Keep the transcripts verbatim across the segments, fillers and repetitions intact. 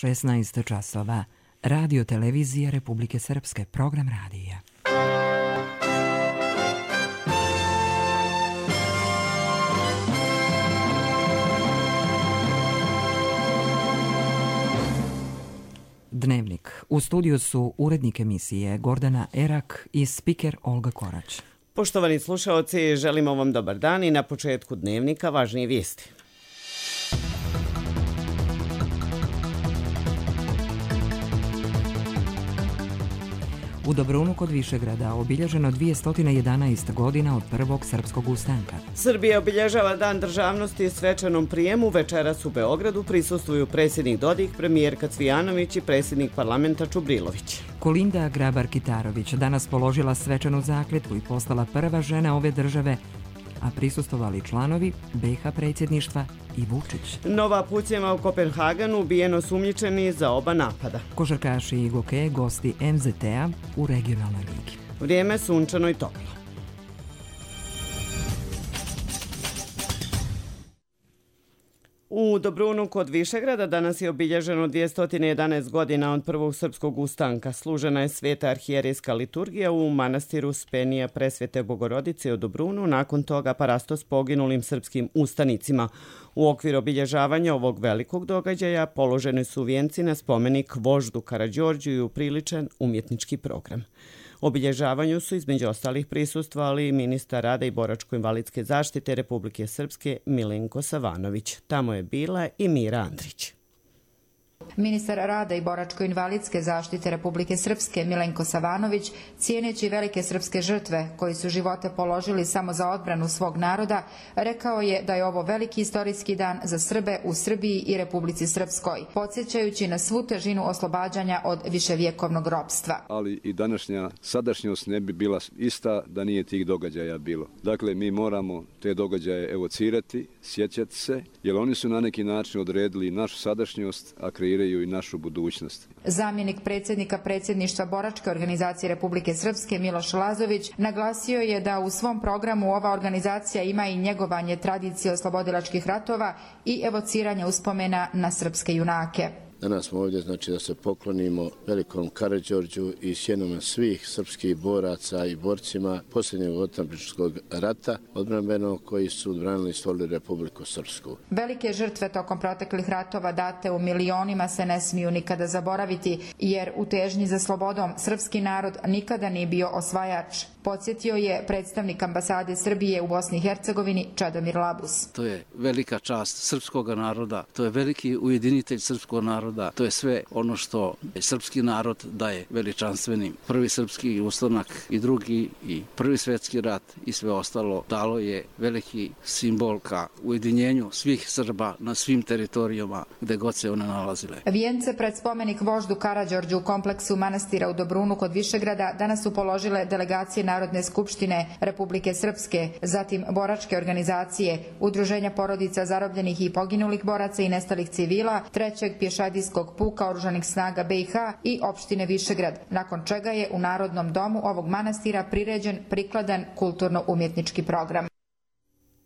šesnaest časova. Radio Televizija Republike Srpske, program radija. Dnevnik. U studiju su urednik emisije Gordana Erak i spiker Olga Korać. Poštovani slušaoci, želimo vam dobar dan i na početku dnevnika važnije vijesti. U Dobrunu kod Višegrada obilježeno dvjesto jedanaest godina od prvog srpskog ustanka. Srbija obilježava Dan državnosti svečanom prijemu. Večeras u Beogradu prisustvuju predsjednik Dodik, premijerka Cvijanović i predsjednik parlamenta Čubrilović. Kolinda Grabar-Kitarović danas položila svečanu zakletvu i postala prva žena ove države, a prisustvovali članovi be ha predsjedništva i Vučić. Nova pucnjava u Kopenhagenu, ubijeno sumnjičeni za oba napada. Košarkaši i gokeje gosti em zet te-a u regionalnoj ligi. Vrijeme sunčano i toplo. U Dobrunu kod Višegrada danas je obilježeno dvjesto jedanaest godina od prvog srpskog ustanka. Služena je sveta arhijerejska liturgija u manastiru Spenija Presvete Bogorodice u Dobrunu, nakon toga parastos poginulim srpskim ustanicima. U okviru obilježavanja ovog velikog događaja položeni su vijenci na spomenik voždu Karađorđu i upriličen umjetnički program. Obilježavanju su između ostalih prisustvovali i ministar rada i boračko-invalidske zaštite Republike Srpske Milenko Savanović. Tamo je bila i Mira Andrić. Ministar rada i boračko-invalidske zaštite Republike Srpske Milenko Savanović, cijeneći velike srpske žrtve koji su živote položili samo za odbranu svog naroda, rekao je da je ovo veliki istorijski dan za Srbe u Srbiji i Republici Srpskoj, podsjećajući na svu težinu oslobađanja od viševjekovnog ropstva. Ali i današnja sadašnjost ne bi bila ista da nije tih događaja bilo. Dakle, mi moramo te događaje evocirati, sjećati se, jer oni su na neki način odredili našu sadašnjost, a kreiraju i našu budućnost. Zamjenik predsjednika predsjedništva Boračke organizacije Republike Srpske Miloš Lazović naglasio je da u svom programu ova organizacija ima i njegovanje tradicije oslobodilačkih ratova i evociranje uspomena na srpske junake. Danas smo ovdje znači da se poklonimo velikom Karađorđu i sjenama svih srpskih boraca i borcima posljednjeg otadžbinskog rata odbrambenog koji su odbranili i stvorili Republiku Srpsku. Velike žrtve tokom proteklih ratova date u milionima se ne smiju nikada zaboraviti, jer u težnji za slobodom srpski narod nikada nije bio osvajač. Podsjetio je predstavnik ambasade Srbije u Bosni i Hercegovini Čedomir Labus. To je velika čast srpskog naroda, to je veliki ujedinitelj srpskog naroda, to je sve ono što srpski narod daje veličanstvenim. Prvi srpski ustanak i drugi i prvi svjetski rat i sve ostalo dalo je veliki simbol ka ujedinjenju svih Srba na svim teritorijama gde god se one nalazile. Vijence pred spomenik voždu Karađorđu u kompleksu manastira u Dobrunu kod Višegrada danas su položile delegacije Narodne skupštine Republike Srpske, zatim boračke organizacije, udruženja porodica zarobljenih i poginulih boraca i nestalih civila, trećeg pješadijskog puka oružanih snaga be ha i opštine Višegrad, nakon čega je u Narodnom domu ovog manastira priređen prikladan kulturno-umjetnički program.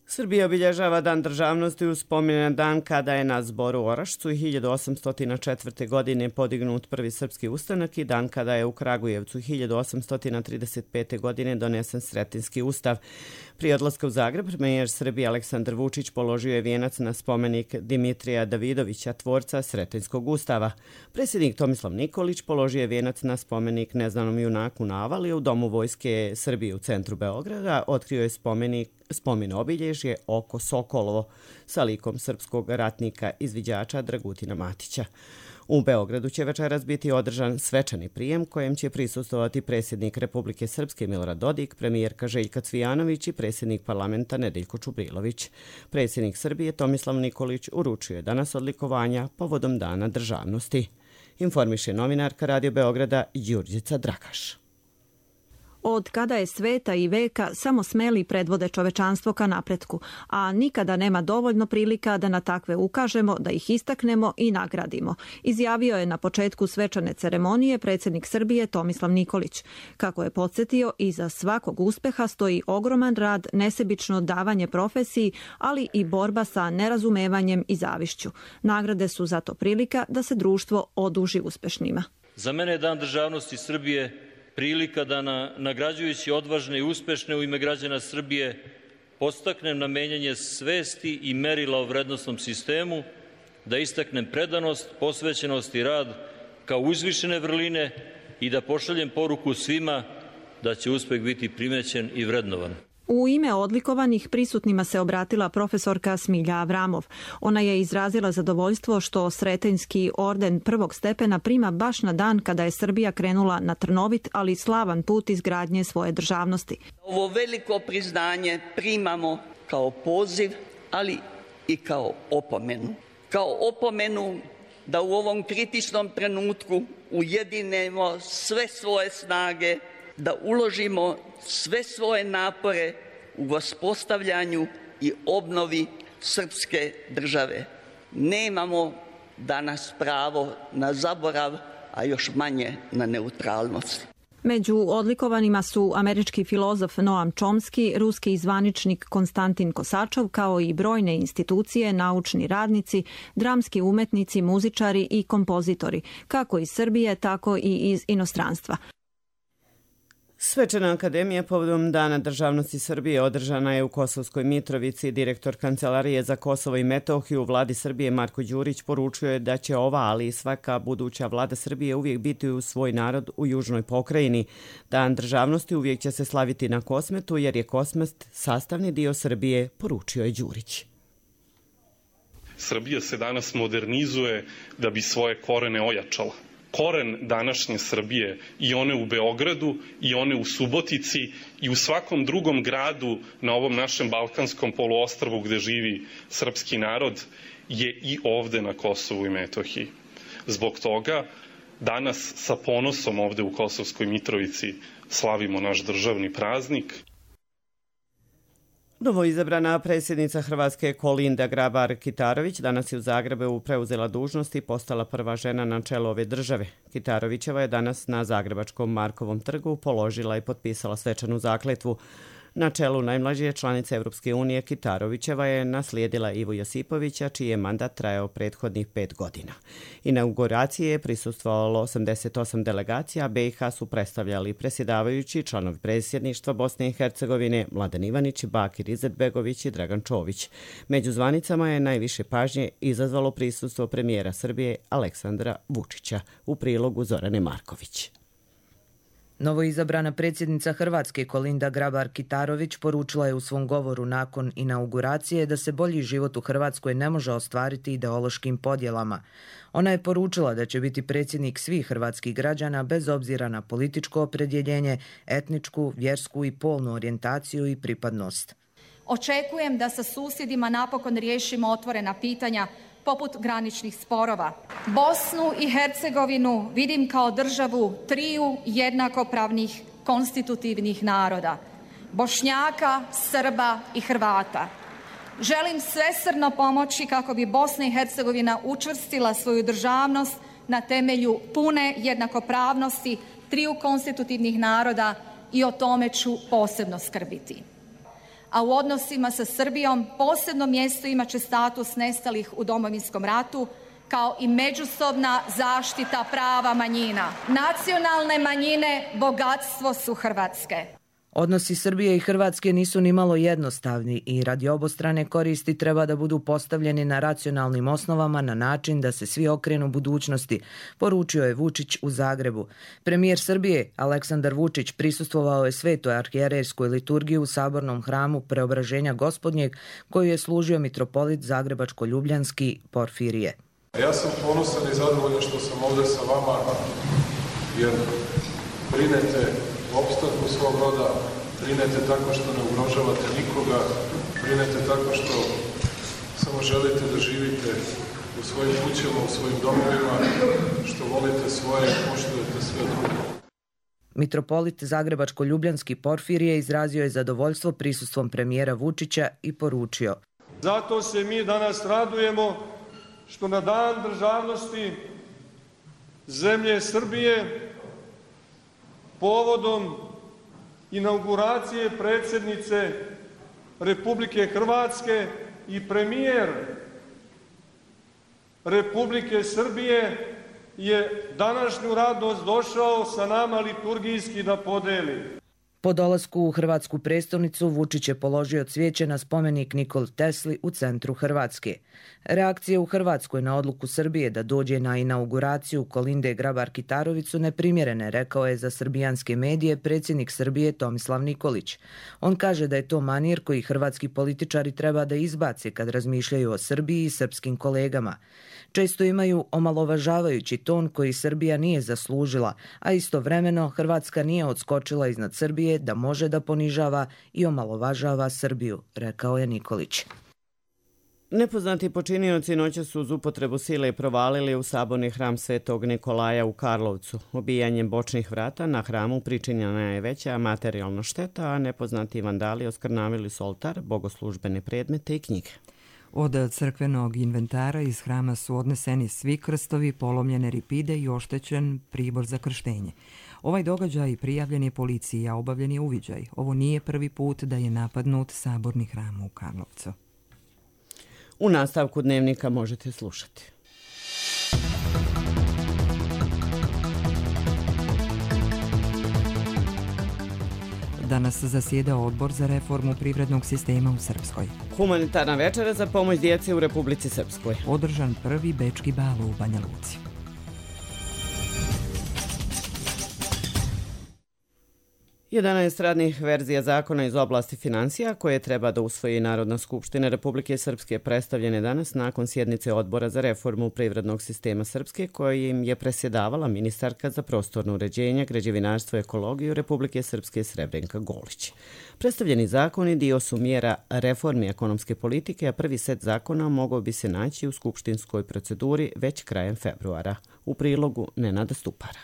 Srbija obilježava Dan državnosti uz spomen na dan kada je na Zboru u Orašcu i hiljadu osamsto četvrte. godine podignut prvi srpski ustanak i dan kada je u Kragujevcu hiljadu osamsto trideset pete. godine donesen Sretenjski ustav. Prije odlaska u Zagreb, premijer Srbije Aleksandar Vučić položio je vijenac na spomenik Dimitrija Davidovića, tvorca Sretenjskog ustava. Predsjednik Tomislav Nikolić položio je vijenac na spomenik neznanom junaku na Avali u Domu vojske Srbije u centru Beograda. Otkrio je spomenik spomen obilježje oko Sokolovo sa likom srpskog ratnika izviđača Dragutina Matića. U Beogradu će večeras biti održan svečani prijem kojem će prisustvovati predsjednik Republike Srpske Milorad Dodik, premijerka Željka Cvijanović i predsjednik parlamenta Nedeljko Čubrilović. Predsjednik Srbije Tomislav Nikolić uručio je danas odlikovanja povodom Dana državnosti. Informiše novinarka Radio Beograda Đurđica Dragaš. od kada je sveta i veka samo smeli predvode čovečanstvo ka napretku, a nikada nema dovoljno prilika da na takve ukažemo, da ih istaknemo i nagradimo, izjavio je na početku svečane ceremonije predsjednik Srbije Tomislav Nikolić. Kako je podsjetio, iza svakog uspeha stoji ogroman rad, nesebično davanje profesiji, ali i borba sa nerazumevanjem i zavišću. Nagrade su zato prilika da se društvo oduži uspešnima. Za mene je Dan državnosti Srbije prilika da na, nagrađujući odvažne i uspešne u ime građana Srbije podstaknem na menjanje svesti i merila o vrednosnom sistemu, da istaknem predanost, posvećenost i rad kao uzvišene vrline i da pošaljem poruku svima da će uspeh biti primećen i vrednovan. U ime odlikovanih prisutnima se obratila profesorka Smilja Avramov. Ona je izrazila zadovoljstvo što Sretenjski orden prvog stepena prima baš na dan kada je Srbija krenula na trnovit, ali slavan put izgradnje svoje državnosti. Ovo veliko priznanje primamo kao poziv, ali i kao opomenu. Kao opomenu da u ovom kritičnom trenutku ujedinemo sve svoje snage, da uložimo sve svoje napore u uspostavljanju i obnovi srpske države. Nemamo danas pravo na zaborav, a još manje na neutralnost. Među odlikovanima su američki filozof Noam Chomsky, ruski zvaničnik Konstantin Kosačov, kao i brojne institucije, naučni radnici, dramski umetnici, muzičari i kompozitori, kako iz Srbije, tako i iz inostranstva. Svečana akademija povodom Dana državnosti Srbije održana je u Kosovskoj Mitrovici. Direktor Kancelarije za Kosovo i Metohiju u vladi Srbije Marko Đurić poručio je da će ova, ali i svaka buduća vlada Srbije uvijek biti u svoj narod u južnoj pokrajini. Dan državnosti uvijek će se slaviti na Kosmetu jer je Kosmet sastavni dio Srbije, poručio je Đurić. Srbija se danas modernizuje da bi svoje korene ojačala. Koren današnje Srbije, i one u Beogradu, i one u Subotici, i u svakom drugom gradu na ovom našem balkanskom poluostrvu gde živi srpski narod, je i ovde na Kosovu i Metohiji. Zbog toga danas sa ponosom ovde u Kosovskoj Mitrovici slavimo naš državni praznik. Novoizabrana predsjednica Hrvatske Kolinda Grabar-Kitarović danas je u Zagrebu preuzela dužnost i postala prva žena na čelu ove države. Kitarovićeva je danas na Zagrebačkom Markovom trgu položila i potpisala svečanu zakletvu. Na čelu najmlađe članice Europske unije Kitarovićeva je naslijedila Ivu Josipovića, čiji je mandat trajao prethodnih pet godina. Inauguraciji je prisustvovalo osamdeset osam delegacija, B i H su predstavljali predsjedavajući, članovi predsjedništva Bosne i Hercegovine, Mladen Ivanić, Bakir Izetbegović i Dragan Čović. Među zvanicama je najviše pažnje izazvalo prisustvo premijera Srbije Aleksandra Vučića, u prilogu Zorane Marković. Novoizabrana predsjednica Hrvatske Kolinda Grabar-Kitarović poručila je u svom govoru nakon inauguracije da se bolji život u Hrvatskoj ne može ostvariti ideološkim podjelama. Ona je poručila da će biti predsjednik svih hrvatskih građana bez obzira na političko opredjeljenje, etničku, vjersku i polnu orijentaciju i pripadnost. Očekujem da sa susjedima napokon riješimo otvorena pitanja poput graničnih sporova. Bosnu i Hercegovinu vidim kao državu triju jednakopravnih konstitutivnih naroda, Bošnjaka, Srba i Hrvata. Želim svesrdno pomoći kako bi Bosna i Hercegovina učvrstila svoju državnost na temelju pune jednakopravnosti triju konstitutivnih naroda i o tome ću posebno skrbiti. A u odnosima sa Srbijom posebno mjesto imat će status nestalih u Domovinskom ratu, kao i međusobna zaštita prava manjina. Nacionalne manjine bogatstvo su Hrvatske. Odnosi Srbije i Hrvatske nisu ni malo jednostavni i radi obostrane koristi treba da budu postavljeni na racionalnim osnovama na način da se svi okrenu budućnosti, poručio je Vučić u Zagrebu. Premijer Srbije Aleksandar Vučić prisustvovao je svetoj arhijerejskoj liturgiji u sabornom hramu Preobraženja Gospodnjeg, koju je služio mitropolit Zagrebačko-Ljubljanski Porfirije. Ja sam ponosan i zadovoljan što sam ovdje sa vama, jer brinete opstanku svog roda, brinete tako što ne ugrožavate nikoga, brinete tako što samo želite da živite u svojim kućama, u svojim domovima, što volite svoje i poštujete sve drugo. Mitropolit Zagrebačko-Ljubljanski Porfirije izrazio je zadovoljstvo prisustvom premijera Vučića i poručio: Zato se mi danas radujemo što na dan državnosti zemlje Srbije povodom inauguracije predsjednice Republike Hrvatske i premijer Republike Srbije je današnju radost došao sa nama liturgijski da podeli. Po dolasku u hrvatsku prestolnicu Vučić je položio cvijeće na spomenik Nikoli Tesli u centru Hrvatske. Reakcije u Hrvatskoj na odluku Srbije da dođe na inauguraciju Kolinde Grabar-Kitarović su neprimjerene, rekao je za srbijanske medije predsjednik Srbije Tomislav Nikolić. On kaže da je to manir koji hrvatski političari treba da izbace kad razmišljaju o Srbiji i srpskim kolegama. Često imaju omalovažavajući ton koji Srbija nije zaslužila, a istovremeno Hrvatska nije odskočila iznad Srbije da može da ponižava i omalovažava Srbiju, rekao je Nikolić. Nepoznati počinioci noćas su uz upotrebu sile provalili u saborni hram Svetog Nikolaja u Karlovcu. Obijanjem bočnih vrata na hramu pričinjena je veća materijalna šteta, a nepoznati vandali oskrnavili su oltar, bogoslužbene predmete i knjige. Od crkvenog inventara iz hrama su odneseni svi krstovi, polomljene ripide i oštećen pribor za krštenje. Ovaj događaj prijavljen je policiji, a obavljen je uviđaj. Ovo nije prvi put da je napadnut saborni hram u Karlovcu. U nastavku dnevnika možete slušati. Danas zasjeda Odbor za reformu privrednog sistema u Srpskoj. Humanitarna večera za pomoć djeci u Republici Srpskoj. Održan prvi bečki bal u Banja Luci. jedanaest radnih verzija zakona iz oblasti financija koje treba da usvoji Narodna skupština Republike Srpske predstavljene danas nakon sjednice Odbora za reformu privrednog sistema Srpske kojim je presjedavala ministarka za prostorno uređenje, građevinarstvo i ekologiju Republike Srpske Srebrenka Golić. Predstavljeni zakoni dio su mjera reformi ekonomske politike, a prvi set zakona mogao bi se naći u skupštinskoj proceduri već krajem februara. U prilogu Nenada Stupara.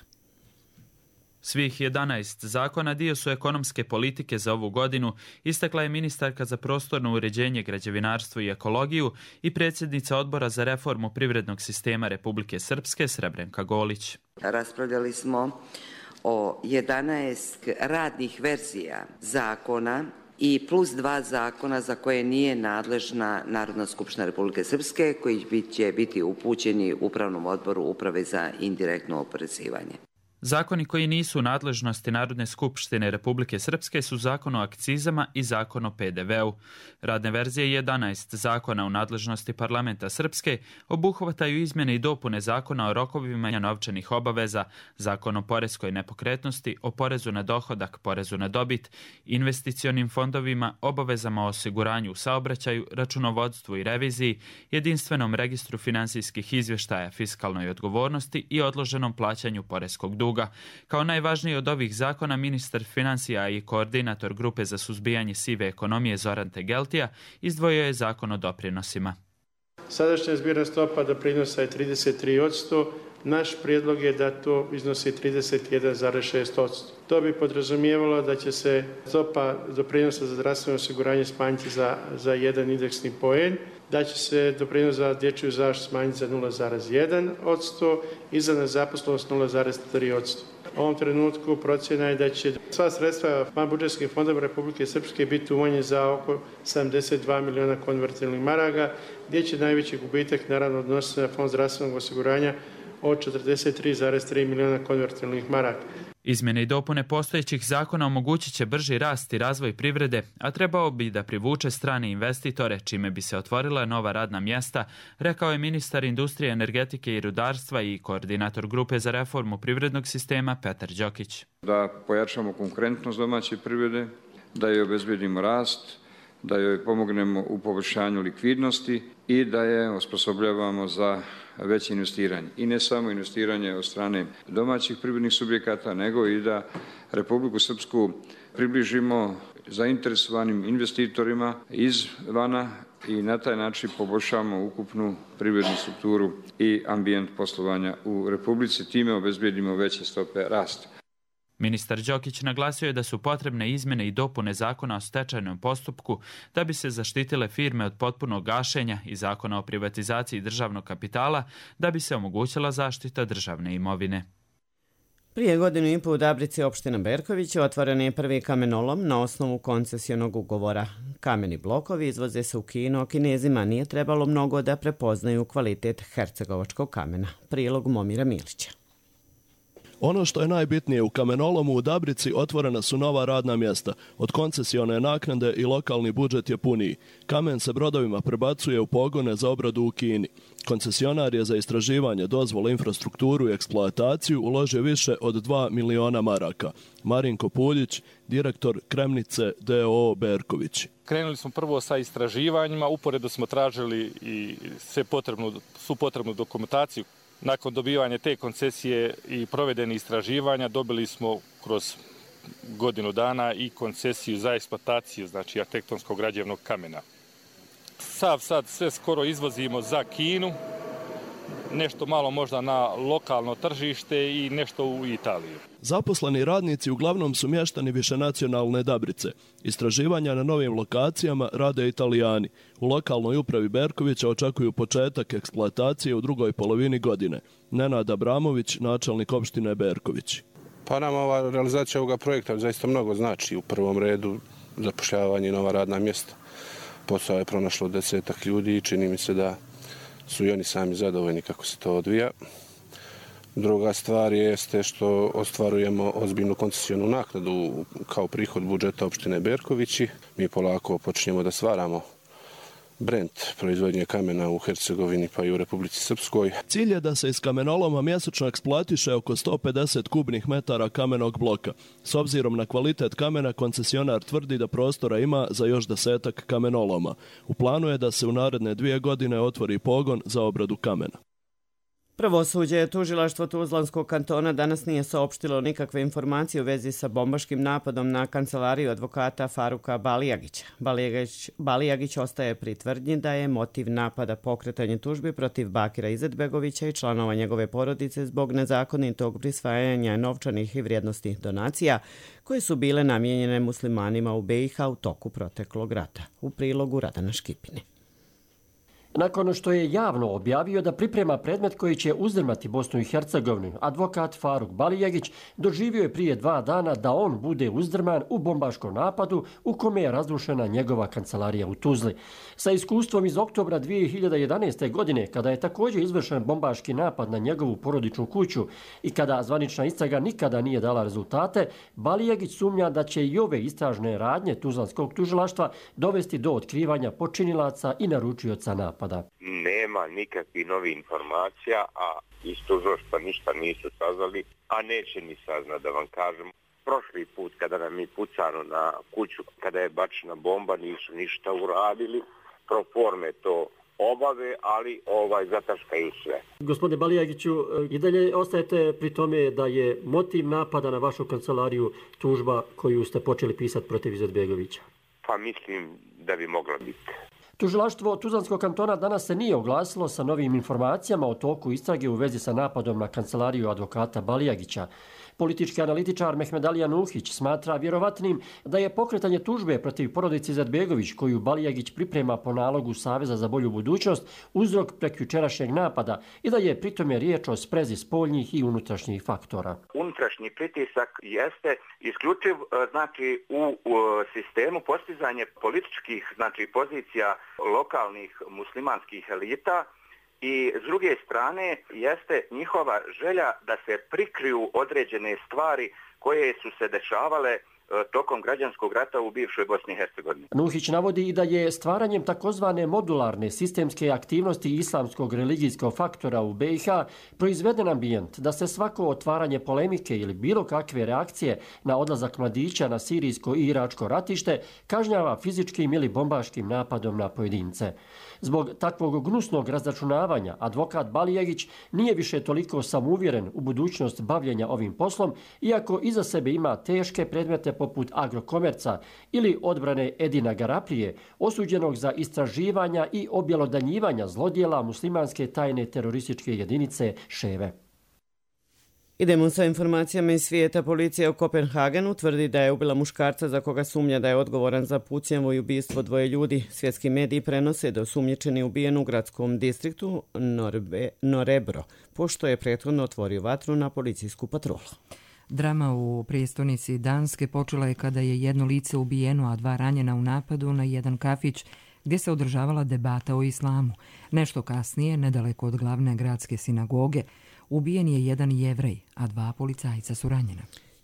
Svih jedanaest zakona dio su ekonomske politike za ovu godinu, istakla je ministarka za prostorno uređenje, građevinarstvo i ekologiju i predsjednica Odbora za reformu privrednog sistema Republike Srpske Srebrenka Golić. Raspravljali smo o jedanaest radnih verzija zakona i plus dva zakona za koje nije nadležna Narodna skupština Republike Srpske, koji će biti upućeni Upravnom odboru Uprave za indirektno oporezivanje. Zakoni koji nisu u nadležnosti Narodne skupštine Republike Srpske su Zakon o akcizama i Zakon o pe de veu. Radne verzije jedanaest zakona u nadležnosti Parlamenta Srpske obuhvataju izmjene i dopune Zakona o rokovima novčanih obaveza, Zakon o poreskoj nepokretnosti, o porezu na dohodak, porezu na dobit, investicionim fondovima, obavezama o osiguranju u saobraćaju, računovodstvu i reviziji, jedinstvenom registru finansijskih izvještaja, fiskalnoj odgovornosti i odloženom plaćanju poreskog duga. Kao najvažniji od ovih zakona, ministar financija i koordinator grupe za suzbijanje sive ekonomije Zoran Tegeltija izdvojio je zakon o doprinosima. Sadašnja zbirna stopa doprinosa je trideset tri posto, naš prijedlog je da to iznosi trideset jedan zarez šest posto. To bi podrazumijevalo da će se stopa doprinosa za zdravstveno osiguranje smanjiti za, za jedan indeksni poen, da će se doprinos za dječju zaštitu smanjiti za nula zarez jedan posto i za nezaposlenost nula zarez tri posto. U ovom trenutku procjena je da će sva sredstva van budžetskih fondova Republike Srpske biti umanjena za oko sedamdeset dva miliona konvertibilnih maraka, gdje će najveći gubitak naravno odnositi na fond zdravstvenog osiguranja od četrdeset tri zarez tri miliona konvertibilnih maraka. Izmjene i dopune postojećih zakona omogućit će brži rast i razvoj privrede, a trebao bi da privuče strane investitore, čime bi se otvorila nova radna mjesta, rekao je ministar industrije, energetike i rudarstva i koordinator grupe za reformu privrednog sistema Petar Đokić. Da pojačamo konkurentnost domaće privrede, da joj obezbedimo rast, da joj pomognemo u poboljšanju likvidnosti i da je osposobljavamo za veće investiranje. I ne samo investiranje od strane domaćih privrednih subjekata, nego i da Republiku Srpsku približimo zainteresovanim investitorima izvana i na taj način poboljšamo ukupnu privrednu strukturu i ambijent poslovanja u Republici, time obezbedimo veće stope rasta. Ministar Đokić naglasio je da su potrebne izmjene i dopune zakona o stečajnom postupku da bi se zaštitile firme od potpunog gašenja i zakona o privatizaciji državnog kapitala da bi se omogućila zaštita državne imovine. Prije godinu i pol u Dabrici opština Berković otvoren je prvi kamenolom na osnovu koncesionog ugovora. Kameni blokovi izvoze se u Kinu, a Kinezima nije trebalo mnogo da prepoznaju kvalitet hercegovačkog kamena. Prilog Momira Milića. Ono što je najbitnije, u kamenolomu u Dabrici otvorena su nova radna mjesta. Od koncesione naknade i lokalni budžet je puniji. Kamen se brodovima prebacuje u pogone za obradu u Kini. Koncesionar je za istraživanje, dozvole, infrastrukturu i eksploataciju uložio više od dva miliona maraka. Marinko Puljić, direktor Kremnice D O O Berković. Krenuli smo prvo sa istraživanjima, uporedo smo tražili i sve potrebnu, svu potrebnu dokumentaciju. Nakon dobivanja te koncesije i provedeni istraživanja dobili smo kroz godinu dana i koncesiju za eksploataciju, znači arhitektonskog građevnog kamena. Sav sad sve skoro izvozimo za Kinu, nešto malo možda na lokalno tržište i nešto u Italiju. Zaposleni radnici uglavnom su mještani višenacionalne Dabrice. Istraživanja na novim lokacijama rade Italijani. U lokalnoj upravi Berkovića očekuju početak eksploatacije u drugoj polovini godine. Nenad Abramović, načelnik opštine Berković. Pa nam ova realizacija ovoga projekta zaista mnogo znači. U prvom redu zapošljavanje i nova radna mjesta. Posao je pronašlo desetak ljudi i čini mi se da su i oni sami zadovoljni kako se to odvija. Druga stvar jeste što ostvarujemo ozbiljnu koncesionu naknadu kao prihod budžeta opštine Berkovići. Mi polako počinjemo da stvaramo brend proizvodnje kamena u Hercegovini pa i u Republici Srpskoj. Cilj je da se iz kamenoloma mjesečno eksploatiše oko sto pedeset kubnih metara kamenog bloka. S obzirom na kvalitet kamena, koncesionar tvrdi da prostora ima za još desetak kamenoloma. U planu je da se u naredne dvije godine otvori pogon za obradu kamena. Pravosuđe tužilaštvo Tuzlanskog kantona danas nije saopštilo nikakve informacije u vezi sa bombaškim napadom na kancelariju advokata Faruka Balijagića. Balijagić, Balijagić ostaje pri tvrdnji da je motiv napada pokretanje tužbi protiv Bakira Izetbegovića i članova njegove porodice zbog nezakonitog prisvajanja novčanih i vrijednosnih donacija koje su bile namijenjene muslimanima u B i H u toku proteklog rata. U prilogu Radana Škipine. Nakon što je javno objavio da priprema predmet koji će uzdrmati Bosnu i Hercegovinu, advokat Faruk Balijagić doživio je prije dva dana da on bude uzdrman u bombaškom napadu u kome je razrušena njegova kancelarija u Tuzli. Sa iskustvom iz oktobra dvije hiljade jedanaeste. godine, kada je također izvršen bombaški napad na njegovu porodičnu kuću i kada zvanična istraga nikada nije dala rezultate, Balijagić sumnja da će i ove istražne radnje Tuzlanskog tužilaštva dovesti do otkrivanja počinilaca i naručioca napada. Nema nikakvih novih informacija, a iz tužilaštva ništa nisu saznali, a neće ni saznat, da vam kažem. Prošli put kada nam je pucano na kuću, kada je bačena bomba, nisu ništa uradili. Pro forme to obave, ali ovaj zataškaju sve. Gospodine Balijagiću, i dalje ostajete pri tome da je motiv napada na vašu kancelariju tužba koju ste počeli pisati protiv Izetbegovića? Pa mislim da bi moglo biti. Tužilaštvo Tuzlanskog kantona danas se nije oglasilo sa novim informacijama o toku istrage u vezi sa napadom na kancelariju advokata Balijagića. Politički analitičar Mehmedalija Nuhić smatra vjerovatnim da je pokretanje tužbe protiv porodice Izetbegović, koju Balijagić priprema po nalogu Saveza za bolju budućnost, uzrok prekjučerašnjeg napada i da je pritome riječ o sprezi spoljnih i unutrašnjih faktora. Unutrašnji pritisak jeste isključiv znači, u, u sistemu postizanje političkih znači, pozicija lokalnih muslimanskih elita, i s druge strane jeste njihova želja da se prikriju određene stvari koje su se dešavale tokom građanskog rata u bivšoj Bosni i Hercegovini. Nuhić navodi i da je stvaranjem takozvane modularne sistemske aktivnosti islamskog religijskog faktora u B i H proizveden ambijent da se svako otvaranje polemike ili bilo kakve reakcije na odlazak mladića na sirijsko i iračko ratište kažnjava fizičkim ili bombaškim napadom na pojedince. Zbog takvog gnusnog razračunavanja advokat Balijagić nije više toliko samouvjeren u budućnost bavljenja ovim poslom, iako iza sebe ima teške predmete poput Agrokomerca ili odbrane Edina Garaplije, osuđenog za istraživanja i objelodanjivanja zlodjela muslimanske tajne terorističke jedinice Ševe. Idemo sa informacijama iz svijeta. Policija u Kopenhagenu tvrdi da je ubila muškarca za koga sumnja da je odgovoran za pucnjavu i ubistvo dvoje ljudi. Svjetski mediji prenose da je osumnjičeni ubijen u gradskom distriktu Norbe, Norebro, pošto je prethodno otvorio vatru na policijsku patrolu. Drama u prijestolnici Danske počela je kada je jedno lice ubijeno, a dva ranjena u napadu na jedan kafić gdje se održavala debata o islamu. Nešto kasnije, nedaleko od glavne gradske sinagoge, ubijen je jedan Jevrej, a dva policajca su ranjena.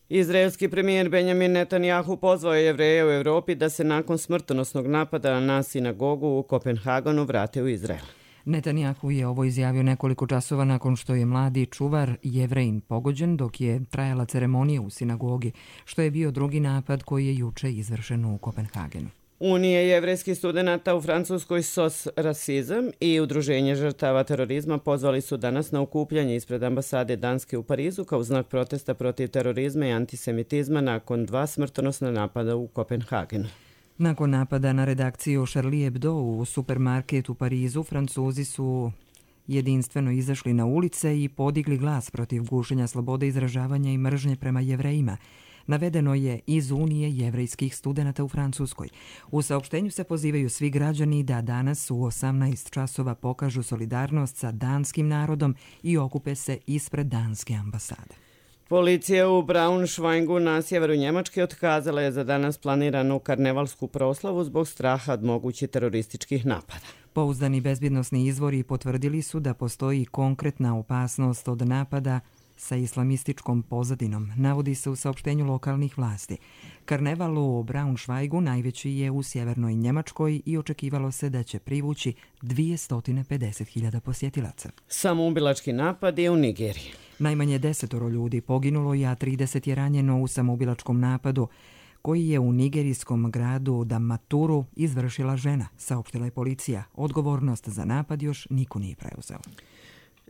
Izraelski premijer Benjamin Netanjahu pozvao je Jevreje u Europi da se nakon smrtonosnog napada na sinagogu u Kopenhagenu vrate u Izrael. Netanjahu je ovo izjavio nekoliko časova nakon što je mladi čuvar Jevrejin pogođen dok je trajala ceremonija u sinagogi, što je bio drugi napad koji je juče izvršen u Kopenhagenu. Unije jevrejskih studenata u Francuskoj S O S Rasizam i Udruženje žrtava terorizma pozvali su danas na okupljanje ispred ambasade Danske u Parizu kao znak protesta protiv terorizma i antisemitizma nakon dva smrtonosna napada u Kopenhagenu. Nakon napada na redakciju Charlie Hebdo u supermarket u Parizu, Francuzi su jedinstveno izašli na ulice i podigli glas protiv gušenja slobode izražavanja i mržnje prema Jevrejima. Navedeno je iz Unije jevrejskih studenata u Francuskoj. U saopštenju se pozivaju svi građani da danas u osamnaest časova pokažu solidarnost sa danskim narodom i okupe se ispred danske ambasade. Policija u Braunschweigu na sjeveru Njemačke otkazala je za danas planiranu karnevalsku proslavu zbog straha od mogućih terorističkih napada. Pouzdani bezbjednosni izvori potvrdili su da postoji konkretna opasnost od napada sa islamističkom pozadinom, navodi se u saopštenju lokalnih vlasti. Karneval u Braunschweigu najveći je u sjevernoj Njemačkoj i očekivalo se da će privući dvjesto pedeset hiljada posjetilaca. Samoubilački napad je u Nigeriji. Najmanje desetoro ljudi poginulo, a trideset je ranjeno u samoubilačkom napadu koji je u nigerijskom gradu Damaturu izvršila žena, saopštila je policija. Odgovornost za napad još niko nije preuzeo.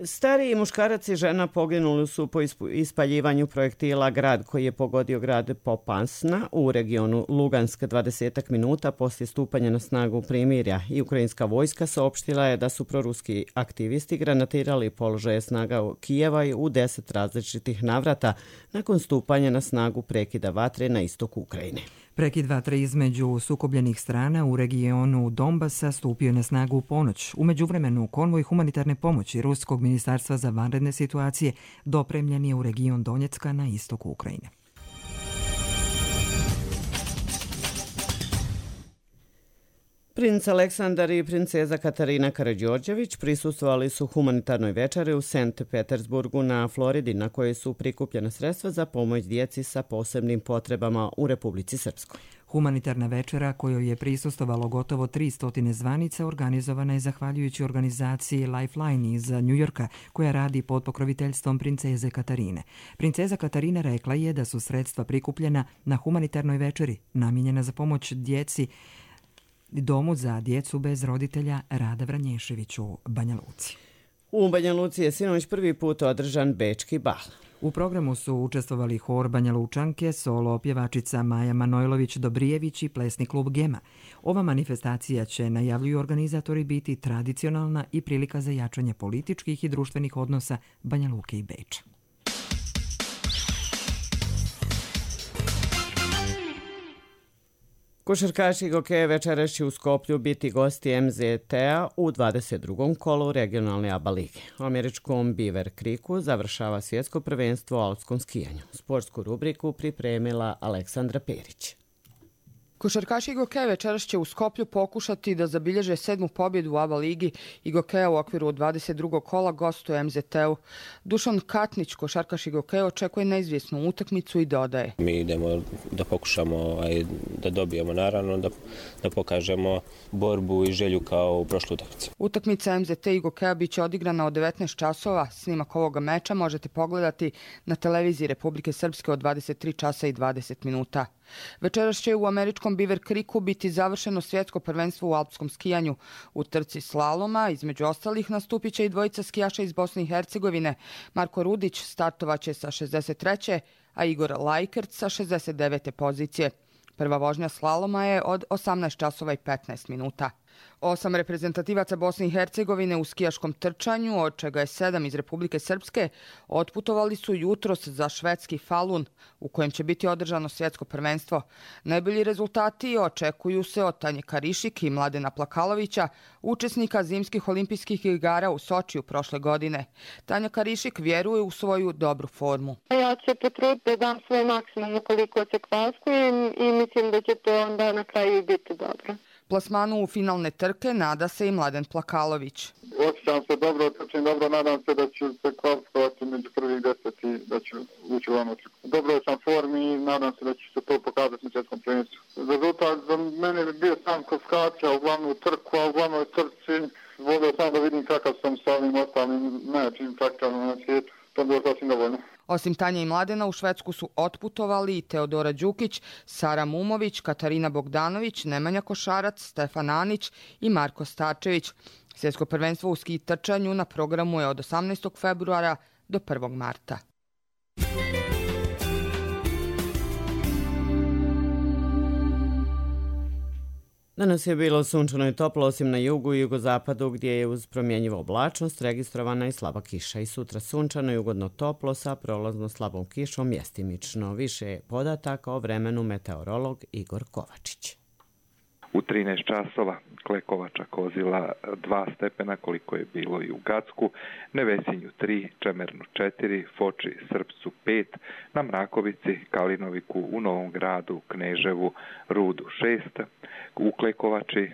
Stariji muškarac i žena poginuli su po ispaljivanju projektila grad koji je pogodio grad Popansna u regionu Lugansk dvadeset minuta poslije stupanja na snagu primirja i ukrajinska vojska saopštila je da su proruski aktivisti granatirali položaje snaga u Kijeva u deset različitih navrata nakon stupanja na snagu prekida vatre na istoku Ukrajine. Prekid vatre između sukobljenih strana u regionu Donbasa stupio na snagu u ponoć. U međuvremenu konvoj humanitarne pomoći Ruskog ministarstva za vanredne situacije dopremljen je u region Donjecka na istoku Ukrajine. Princ Aleksandar i princeza Katarina Karađorđević prisustvovali su humanitarnoj večeri u Sankt Petersburgu na Floridi na kojoj su prikupljena sredstva za pomoć djeci sa posebnim potrebama u Republici Srpskoj. Humanitarna večera kojoj je prisustvovalo gotovo tristo zvanica organizovana je zahvaljujući organizaciji Lifeline iz Njujorka koja radi pod pokroviteljstvom princeze Katarine. Princeza Katarina rekla je da su sredstva prikupljena na humanitarnoj večeri namijenjena za pomoć djeci Domu za djecu bez roditelja Rada Vranješević u Banja Luci. U Banja Luci je sinoć prvi put održan Bečki bal. U programu su učestvovali hor Banja Lučanke, solo pjevačica Maja Manojlović-Dobrijević i plesni klub Gema. Ova manifestacija će, najavljuju organizatori, biti tradicionalna i prilika za jačanje političkih i društvenih odnosa Banja Luke i Beča. Košarkaši Gokeja večeras će u Skoplju biti gosti M Z T-a u dvadeset drugom kolu regionalne A B A lige. U američkom Beaver Creeku završava svjetsko prvenstvo u alpskom skijanju. Sportsku rubriku pripremila Aleksandra Perić. Košarkaši Gokeja večeras će u Skoplju pokušati da zabilježe sedmu pobjedu u A B A ligi i Gokeja u okviru dvadeset drugog kola gostuje M Z T-u. Dušan Katnić, košarkaš Gokeja, očekuje neizvjesnu utakmicu i dodaje. Mi idemo da pokušamo da dobijemo, naravno, da, da pokažemo borbu i želju kao u prošlu utakmicu. Utakmica M Z T i Gokeja biće odigrana od devetnaest časova. Snimak ovoga meča možete pogledati na televiziji Republike Srpske od dvadeset tri časa i dvadeset minuta. Večeras će u američkom Beaver Creeku biti završeno svjetsko prvenstvo u alpskom skijanju. U trci slaloma, između ostalih, nastupit će i dvojica skijaša iz Bosne i Hercegovine. Marko Rudić startovaće sa šezdeset treće a Igor Lajkert sa šezdeset devete pozicije. Prva vožnja slaloma je od osamnaest časova i petnaest minuta. Osam reprezentativaca Bosne i Hercegovine u skijaškom trčanju, od čega je sedam iz Republike Srpske, otputovali su jutros za švedski Falun, u kojem će biti održano svjetsko prvenstvo. Najbolji rezultati očekuju se od Tanje Karišik i Mladena Plakalovića, učesnika zimskih olimpijskih igara u Sočiju prošle godine. Tanja Karišik vjeruje u svoju dobru formu. Ja ću potruditi da dam svoj maksimum koliko se kvaskujem i mislim da će to onda na kraju biti dobro. Plasmanu u finalne trke nada se i Mladen Plakalović. Osjećam se dobro, trčim dobro, nadam se da ću se kvalifikovati među prvih deset i da ću ući u onu trku. Dobro sam formi i nadam se da će se to pokazati na svjetskom prvenstvu. Rezultat za mene bi bio sam kvalifikacija u glavnu trku, a u glavnoj trci volio sam da vidim kakav sam sa ovim ostalim najjačim trkačima na svijetu. To bi bilo sasvim dovoljno. Osim Tanje i Mladena, u Švedsku su otputovali i Teodora Đukić, Sara Mumović, Katarina Bogdanović, Nemanja Košarac, Stefan Anić i Marko Starčević. Svjetsko prvenstvo u ski trčanju na programu je od osamnaestog februara do prvog marta. Danas je bilo sunčano i toplo, osim na jugu i jugozapadu gdje je uz promjenjivu oblačnost registrovana i slaba kiša. I sutra sunčano i ugodno toplo sa prolazno slabom kišom mjestimično. Više podataka o vremenu meteorolog Igor Kovačić. U trinaest časova Klekovača Kozila dva stepena koliko je bilo i u Gacku, Nevesinju tri, Čemernu četiri, Foči Srpcu pet, na Mrakovici, Kalinoviku, u Novom Gradu, Kneževu, Rudu šest, u Klekovači e,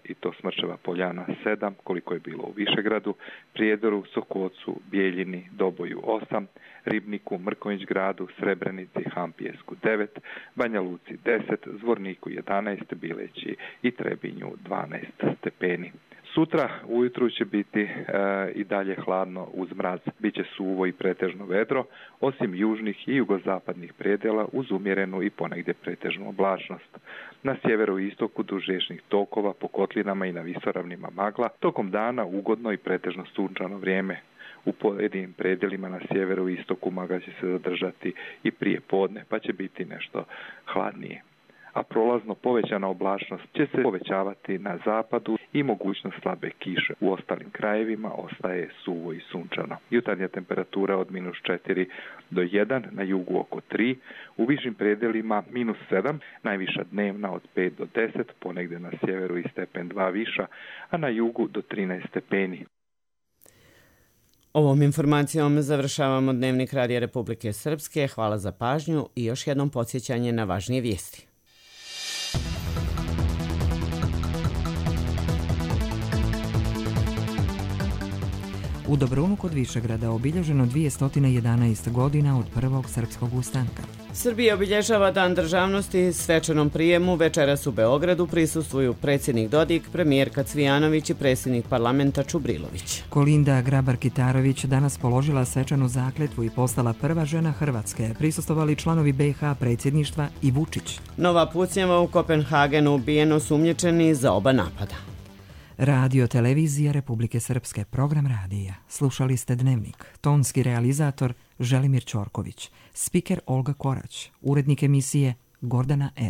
i to Smrčeva Poljana sedam koliko je bilo u Višegradu, Prijedoru, Sokocu, Bijeljini, Doboju osam, Ribniku, Mrkonjić Gradu, Srebrenici, Hampijesku devet, Banja Luci deset, Zvorniku jedanaest, Bileći i Trebinju dvanaest stepeni. Sutra ujutru će biti e, i dalje hladno uz mraz. Biće suvo i pretežno vedro, osim južnih i jugozapadnih predjela uz umjerenu i ponegdje pretežnu oblačnost. Na sjeveru i istoku duž riječnih tokova, po kotlinama i na visoravnima magla, tokom dana ugodno i pretežno sunčano vrijeme. U pojedinim predjelima na sjeveru i istoku magla će se zadržati i prije podne, pa će biti nešto hladnije. A prolazno povećana oblačnost će se povećavati na zapadu i mogućnost slabe kiše. U ostalim krajevima ostaje suvo i sunčano. Jutarnja temperatura od minus četiri do jedan, na jugu oko tri, u višim predjelima minus sedam, najviša dnevna od pet do deset, ponegdje na sjeveru i stepen dva viša, a na jugu do trinaest stepeni. Ovom informacijom završavamo Dnevnik Radija Republike Srpske. Hvala za pažnju i još jednom podsjećanje na važnije vijesti. U Dobrunu kod Višegrada obilježeno dvjesto jedanaest godina od prvog srpskog ustanka. Srbija obilježava Dan državnosti svečanom prijemu. Večeras u Beogradu prisustvuju predsjednik Dodik, premijerka Cvijanović i predsjednik parlamenta Čubrilović. Kolinda Grabar-Kitarović danas položila svečanu zakletvu i postala prva žena Hrvatske. Prisustvovali članovi be ha predsjedništva i Vučić. Nova pucnjava u Kopenhagenu, ubijeno osumnjičeni za oba napada. Radio Televizija Republike Srpske, program radija. Slušali ste Dnevnik. Tonski realizator Želimir Ćorković. Spiker Olga Korać. Urednik emisije Gordana R.